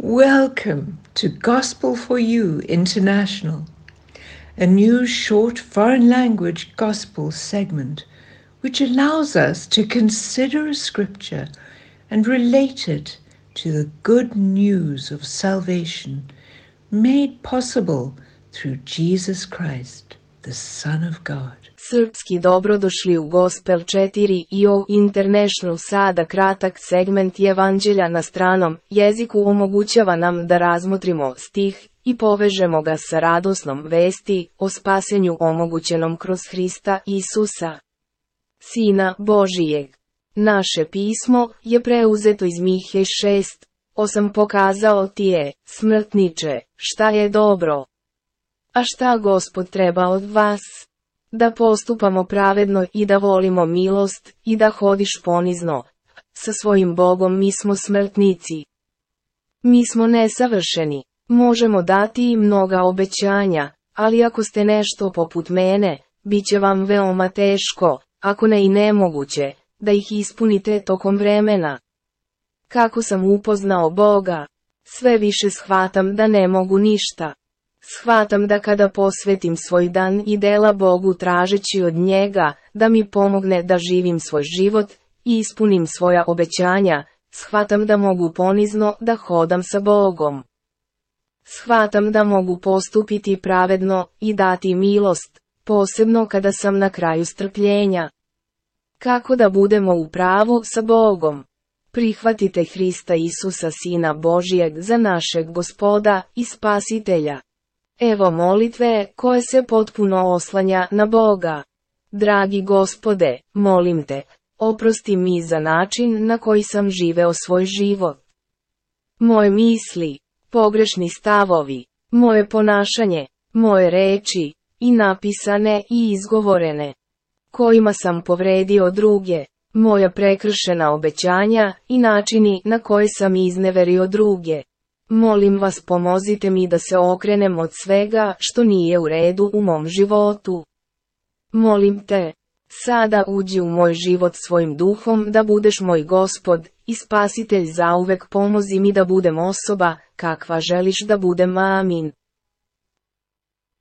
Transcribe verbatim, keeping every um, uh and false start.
Welcome to Gospel for You International, a new short foreign language gospel segment which allows us to consider a scripture and relate it to the good news of salvation made possible through Jesus Christ, the Son of God. Srpski, dobrodošli u Gospel četiri i o International. Sada kratak segment Evanđelja na stranom jeziku omogućava nam da razmotrimo stih i povežemo ga sa radosnom vesti o spasenju omogućenom kroz Hrista Isusa, Sina Božijeg. Naše pismo je preuzeto iz Mihe šest osam. Pokazao ti je, smrtniče, šta je dobro. A šta Gospod treba od vas? Da postupamo pravedno i da volimo milost i da hodiš ponizno. Sa svojim Bogom mi smo smrtnici. Mi smo nesavršeni. Možemo dati i mnoga obećanja, ali ako ste nešto poput mene, bit će vam veoma teško, ako ne i nemoguće, da ih ispunite tokom vremena. Kako sam upoznao Boga, sve više shvatam da ne mogu ništa. Shvatam da kada posvetim svoj dan i dela Bogu tražeći od njega da mi pomogne da živim svoj život i ispunim svoja obećanja, shvatam da mogu ponizno da hodam sa Bogom. Shvatam da mogu postupiti pravedno i dati milost, posebno kada sam na kraju strpljenja. Kako da budemo u pravu sa Bogom? Prihvatite Hrista Isusa, Sina Božijeg, za našeg Gospoda i Spasitelja. Evo molitve koje se potpuno oslanja na Boga. Dragi Gospode, molim te, oprosti mi za način na koji sam živeo svoj život. Moje misli, pogrešni stavovi, moje ponašanje, moje reči, i napisane i izgovorene, kojima sam povredio druge, moja prekršena obećanja i načini na koje sam izneverio druge. Molim vas, pomozite mi da se okrenem od svega što nije u redu u mom životu. Molim te, sada uđi u moj život svojim duhom da budeš moj Gospod i Spasitelj zauvek. Pomozi mi da budem osoba kakva želiš da budem. Amin.